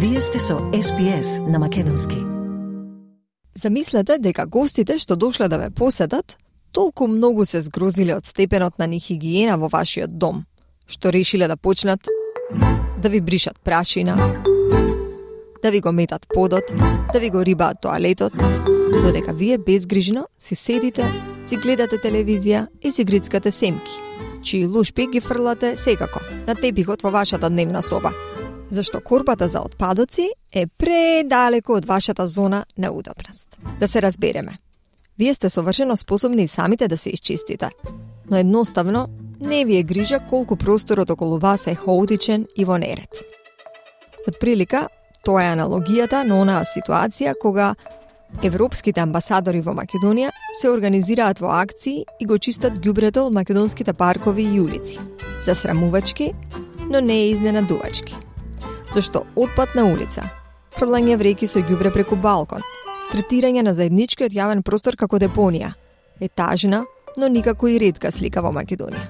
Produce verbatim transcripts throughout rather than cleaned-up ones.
Вие сте со Ес Би Ес на македонски. Замислете дека гостите што дошле да ве посетат толку многу се згрозиле од степенот на нехигиена во вашиот дом, што решиле да почнат да ви бришат прашина, да ви го метат подот, да ви го рибаат тоалетот, додека вие безгрижно си седите, си гледате телевизија и си грицкате семки, чии лушпи ги фрлате секако на тепихот во вашата дневна соба, зашто корпата за отпадоци е предалеку од вашата зона на удобност. Да се разбереме. Вие сте совршено способни и самите да се исчистите, но едноставно не ви е грижа колку просторот околу вас е хаотичен и во неред. Отприлика, тоа е аналогијата на онаа ситуација кога европските амбасадори во Македонија се организираат во акции и го чистат ѓубрето од македонските паркови и улици. Засрамувачки, но не е изненадувачки. Зашто отпад на улица, фрлање вреки со ѓубре преку балкон, третирање на заедничкиот јавен простор како депонија, е тажна, но никако и ретка слика во Македонија.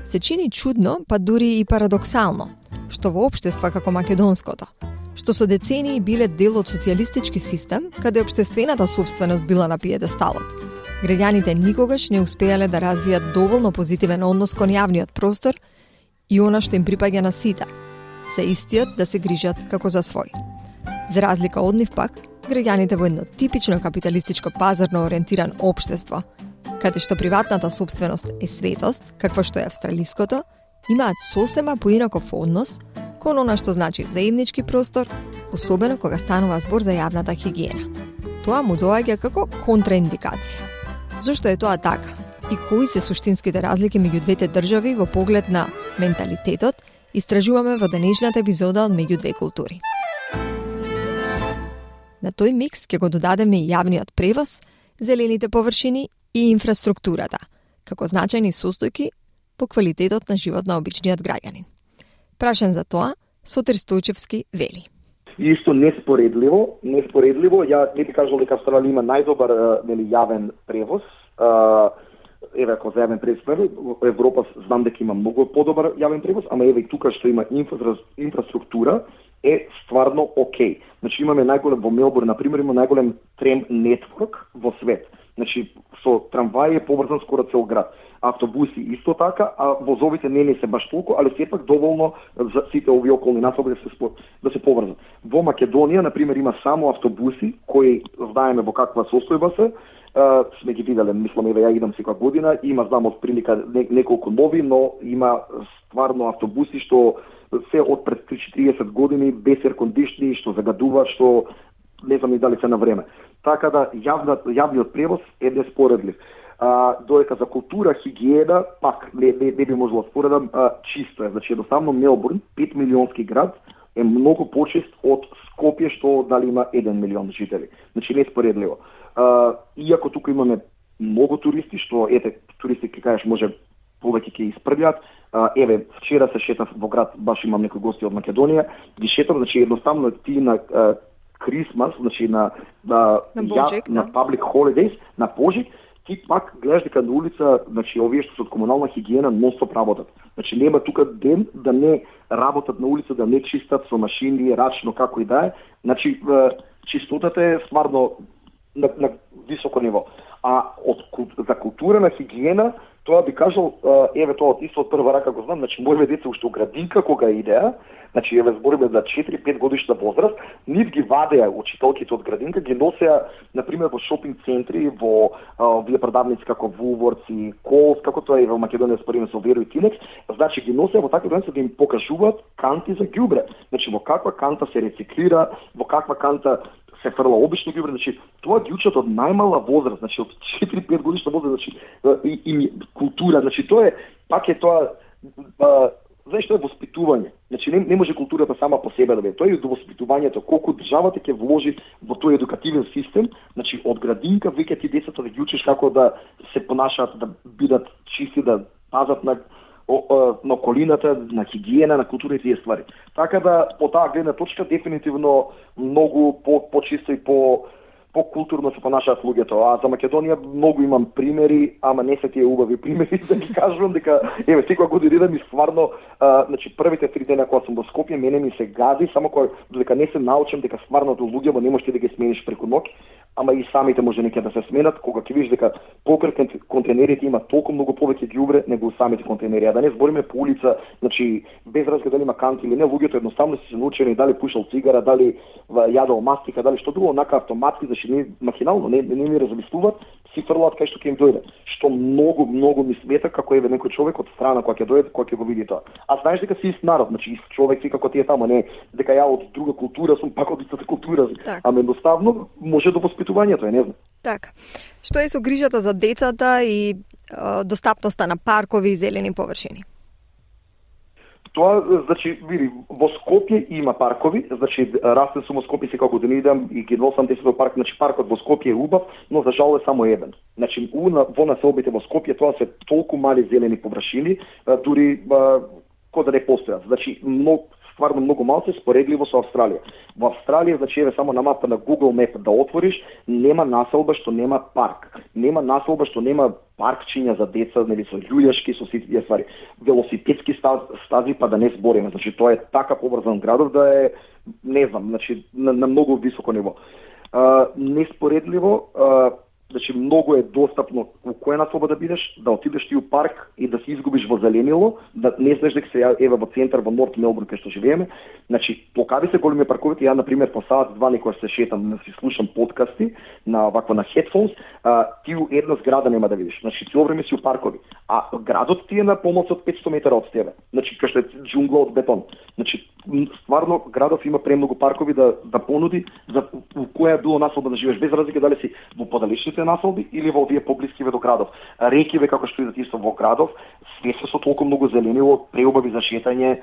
Се чини чудно, па дури и парадоксално, што во општества како македонското, што со децении биле дел од социјалистички систем, каде општествената собственост била на пиедесталот, граѓаните никогаш не успеале да развијат доволно позитивен однос кон јавниот простор и она што им припаѓа на сите, за истиот да се грижат како за свој. За разлика од нив пак, граѓаните во едно типично капиталистичко пазарно ориентиран општество, каде што приватната собственост е светост, каква што е австралиското, имаат сосема поинаков однос кон она што значи заеднички простор, особено кога станува збор за јавната хигиена. Тоа му доаѓа како контраиндикација. Зошто е тоа така? И кои се суштинските разлики меѓу двете држави во поглед на менталитетот, истражуваме во денешната епизода од Меѓу две култури. На тој микс ќе го додадеме и јавниот превоз, зелените површини и инфраструктурата, како значајни состојки по квалитетот на живот на обичниот граѓанин. Прашен за тоа, Сотир Стојчевски вели. Исто неспоредливо, неспоредливо, ја не би кажал дека Австралија има најдобар нели јавен превоз. Еве ако за јавен превоз, во Европа знам дека има многу подобар јавен превоз, ама еве и тука што има инфра, инфраструктура е стварно окей. Значи имаме најголем во Мелбурн, на пример, има најголем трем нетворк во свет. Значи со трамваи е поврзан скоро цел град. Автобуси исто така, а возовите не не се баш толку, али сепак доволно за сите овие околни насоби да се да се поврзат. Во Македонија, на пример, има само автобуси кои знаеме во каква состојба се. Uh, сме ги виделе, мислам, еве ја идам секоја година, има знам од прилика не, неколку нови, но има стварно автобуси што се од пред триесет години без еркондишни, што загадуваат, што не знам и дали се на време. Така да јавниот јавниот превоз е неспоредлив. А, додека за култура, хигиена, пак не, не, не би можело споредам, а, чисто е. Значи едноставно Мелбурн, пет милионски град, е многу почист од Скопје што дали има еден милион жители. Значи неспоредливо. Uh, иако тука имаме многу туристи, што ете туристи ќе кажеш може повеќе ќе испрљат. Uh, еве вчера се шетав во град, баш имам некои гости од Македонија, ги шетав, значи едноставно ти на Крисмас, uh, значи на на на, Божик, ја, да. на public holidays, на Божик, ти пак гледаш дека на улица, значи овие што се од комунална хигиена нон-стоп работат. Значи нема тука ден да не работат на улица, да не чистат со машини, рачно како и да е. Значи uh, чистотата е стварно На, на високо ниво. А од за култура на хигиена, тоа би кажал, еве тоа од исто од прва рака го знам, значи моите деца уште у градинка кога идеа, значи еве збориме за четири-пет годишна возраст, нив ги вадеа учителките од градинка, ги носеа на пример во шопинг центри, во овие продавници како Woolworths и Coles, како тоа е во Македонија спориме со Веро и Тинекс, значи ги носеа во такви градинки да им покажуваат канти за ѓубре. Значи во каква канта се рециклира, во каква канта се фрла обично ѓубре, значи тоа ги учат од најмала возраст, значи од четири-пет годишна возраст, значи и, и култура, значи тоа е пак е тоа а, знаеш што е воспитување. Значи не, не може културата сама по себе да биде. Тоа е до воспитувањето, колку државата ќе вложи во тој едукативен систем, значи од градинка веќе ти децата да ги учиш како да се понашаат, да бидат чисти, да пазат на на околината, на хигиена, на култура и тие ствари. Така да, по таа гледна точка, дефинитивно многу по, по-чисто и по покултурно се понашаат луѓето. А за Македонија многу имам примери, ама не се тие убави примери да ги кажувам дека еве секоја година ми стварно, а, значи првите три дена кога сум во Скопје мене ми се гази, само кога додека не се научам дека стварното луѓето не можеш да ги смениш преку ноќ, ама и самите може некаде да се сменат, кога ќе видиш дека покрај контейнерите има толку многу повеќе ѓубре него самите контейнери. А да не збориме по улица, значи без разлика дали има канти или не, луѓето едноставно се научени дали пушал цигара, дали јадел мастика, дали што друго, онака автоматски, значи не махинално, не не ми размислуваат, си фрлаат кај што ќе им дојде. Што многу многу ми смета како еве некој човек од страна кога ќе дојде, кога ќе го види тоа. А знаеш дека си ист народ, значи ист човек си како ти е тамо, не дека ја од друга култура сум пак од истата култура. Так. Ама едноставно може до воспитувањето, е, не знам. Така. Што е со грижата за децата и е, достапноста на паркови и зелени површини? Тоа, значи, види, во Скопје има паркови, значи, растен сум во Скопје секоја година идам и ги носам децата во парк, значи, паркот во Скопје е убав, но за жал е само еден. Значи, у, на, во населбите во Скопје тоа се толку мали зелени површини, дури кој да не постојат. Значи, многу стварно многу малку споредливо со Австралија. Во Австралија, значи, еве само на мапа на Google Map да отвориш, нема населба што нема парк. Нема населба што нема паркчиња за деца, нели со љулјашки, со сите тие ствари. Велосипедски стази, па да не збориме. Значи, тоа е така поврзан градов да е, не знам, значи, на, на многу високо ниво. А, неспоредливо, а, значи многу е достапно у која населба да бидеш, да отидеш ти у парк и да се изгубиш во зеленило, да не знаеш дека се еве во центар во Норт Мелбурн кај што живееме. Значи, покави се големи парковите, ја на пример по саат два некој се шетам, да си слушам подкасти на вакво на headphones, а, ти у една зграда нема да видиш. Значи, цело време си у паркови, а градот ти е на помалку од петстотини метра од тебе. Значи, кај што е џунгла од бетон. Значи, стварно градот има премногу паркови да да понуди за у која било населба да живееш, без разлика дали си во подалечните населби или во овие поблискиве до градов. Рекиве како што идат исто во градов, све се со толку многу зеленило, преубави за шетање,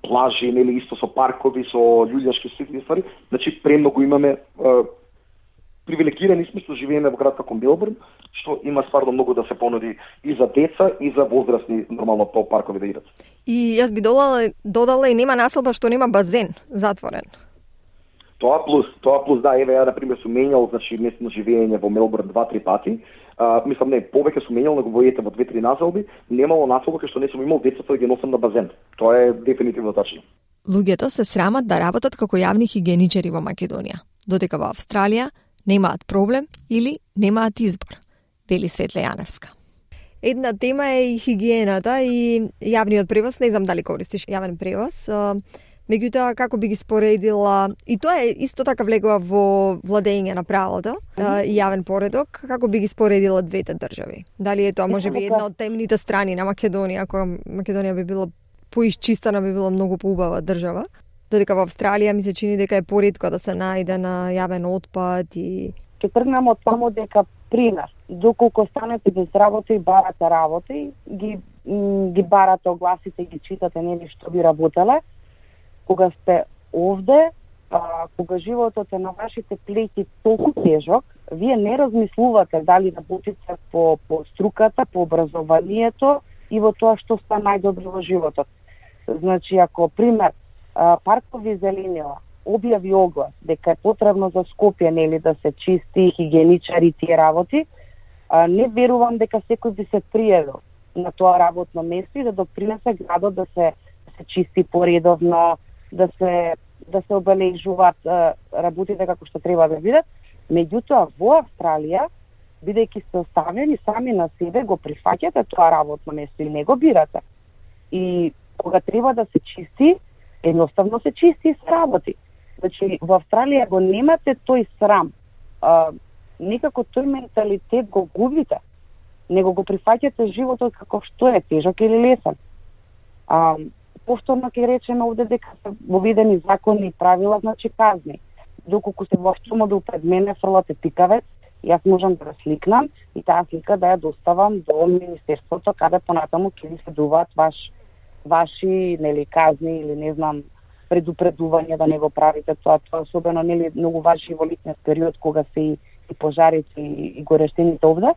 плажи, нели исто со паркови, со љуѓашки сити ствари. Значи премногу имаме, привилегирани сме што живееме во град како Мелбурн, што има стварно многу да се понуди и за деца и за возрастни нормално по паркови да идат. И јас би додала, додала и нема населба што нема базен затворен. Тоа плюс, тоа плюс, да, еве ја на пример сум менјал, значи местно живење во Мелбурн два-три пати. А, мислам не, повеќе сум менјал, него во ете во две-три населби, немало населба кај што не сум имал децата да ги носам на базен. Тоа е дефинитивно тачно. Луѓето се срамат да работат како јавни хигиеничари во Македонија, додека во Австралија немаат проблем или немаат избор, вели Светле Јаневска. Една тема е и хигиената и јавниот превоз, не знам дали користиш јавен превоз. Меѓутоа, како би ги споредила, и тоа е исто така влегува во владење на правото mm-hmm. и јавен поредок, како би ги споредила двете држави? Дали е тоа може би една од темните страни на Македонија, кога Македонија би била поисчистена, би била многу поубава држава, додека во Австралија ми се чини дека е поретко да се најде на јавен отпад и... Ке тргнам од само дека, пример, доколку станете без работа и барате работа и ги, ги барате огласите, ги читате, нели што би работеле, кога сте овде, а, кога животот е на вашите плеќи толку тежок, вие не размислувате дали работите по, по струката, по образованието и во тоа што сте најдобро во животот. Значи, ако, пример, а, паркови зеленила објави оглас дека е потребно за Скопје, нели, да се чисти, хигиеничари тие работи, а, не верувам дека секој би се пријавил на тоа работно место и да допринесе градот да се, да се чисти поредовно, да се да се обележуваат работите како што треба да бидат. Меѓутоа во Австралија, бидејќи сте оставени сами на себе, го прифаќате тоа работно место и не го бирате. И кога треба да се чисти, едноставно се чисти и се работи. Значи во Австралија го немате тој срам. А, некако тој менталитет го губите. Него го прифаќате животот како што е, тежок или лесен. А, повторно ќе речеме овде дека се воведени закони и правила, значи казни. Доколку се во автомобил пред мене фрлате пикавец, јас можам да сликнам и таа слика да ја доставам до Министерството, каде понатаму ќе ви следуваат ваш, ваши нели казни или не знам предупредување да не го правите тоа. Тоа особено нели многу важи во летниот период кога се и, и пожарите и, и горещените овде.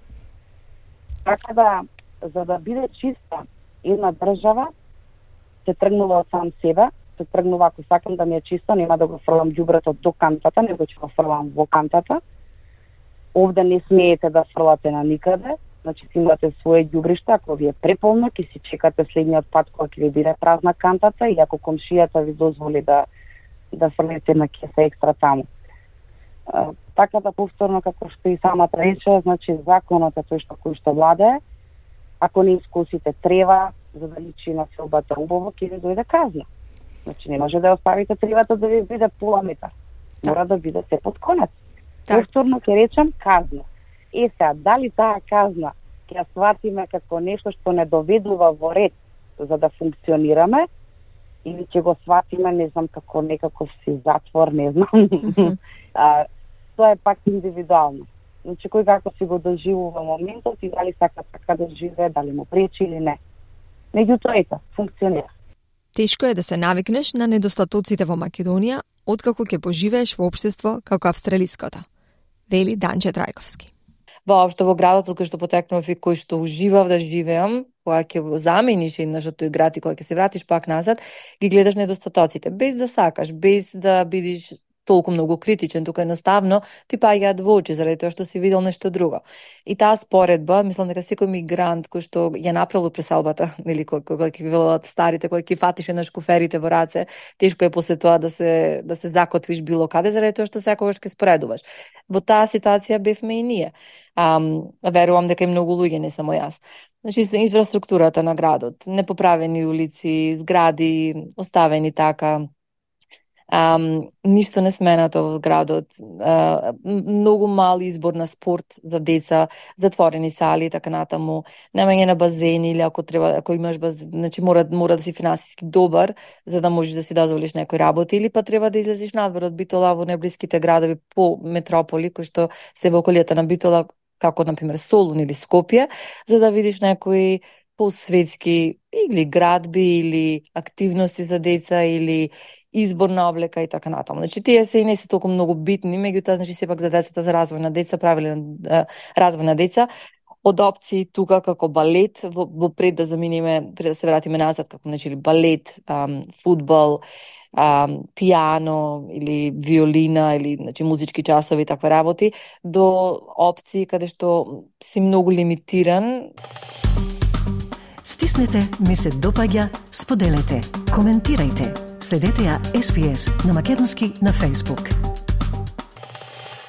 Така да, за да биде чиста една држава, се тргнува од сам себе, се тргнува ако сакам да ми е чисто, нема да го фрлам ѓубрето до кантата, него ќе го фрлам во кантата. овде не смеете да фрлате на никаде, значи си имате своje ѓубриште, ако ви е преполно, ќе си чекате следниот пат кога ќе ви биде празна кантата и ако комшијата ви дозволи да да фрлите на кеса екстра таму. А, така да повторно, како што и самата рече, значи законот е тој што кој што владее. Ако не искусите трева, за да личи на селбата убаво, ќе ви дојде казна. Значи не може да оставите тревата да ви биде пола метар. Мора да биде се под конец. Повторно ќе речам казна. Е сега, дали таа казна ќе ја сватиме како нешто што не доведува во ред за да функционираме, или ќе го сватиме, не знам, како некаков си затвор, не знам. Mm-hmm. а, тоа е пак индивидуално. Значи, кој како си го доживува моментот и дали сака така да живее, дали му пречи или не. Меѓутоа, ето, функционира. Тешко е да се навикнеш на недостатоците во Македонија, откако ќе поживееш во општество како австралиското, вели Данче Трајковски. Воопшто во градот од кој што потекнав и кој што уживав да живеам, кога ќе го замениш еднаш од тој град и кога ќе се вратиш пак назад, ги гледаш недостатоците, без да сакаш, без да бидеш толку многу критичен, тука едноставно ти паѓаат во очи заради тоа што си видел нешто друго. И таа споредба, мислам дека секој мигрант кој што ја направил преселбата, нели кој кој ќе велат старите, кој ќе фатиш на шкуферите во раце, тешко е после тоа да се да се закотвиш било каде заради тоа што секогаш ќе споредуваш. Во таа ситуација бевме и ние. Ам, верувам дека и многу луѓе, не само јас. Значи, инфраструктурата на градот, непоправени улици, згради, оставени така, Um, ништо не сменато во градот, uh, многу мал избор на спорт за деца, затворени сали и така натаму, немање на базени или ако треба, ако имаш базен, значи мора мора да си финансиски добар за да можеш да си дозволиш некој работа, или па треба да излезеш надвор од Битола во неблиските градови по метрополи кои што се во околијата на Битола, како на пример Солун или Скопје, за да видиш некои посветски или градби или активности за деца или избор на облека и така натаму. Значи тие се и не се толку многу битни, меѓутоа значи сепак за децата, за развој на деца, правилен развој на деца, од опции тука како балет, во, во пред да заминиме, пред да се вратиме назад, како значи балет, ам, фудбал, ам, пијано или виолина или значи музички часови и такви работи, до опции каде што си многу лимитиран. Стиснете, ми се допаѓа, споделете, коментирајте. Следете ја Ес Би Ес на македонски на Facebook.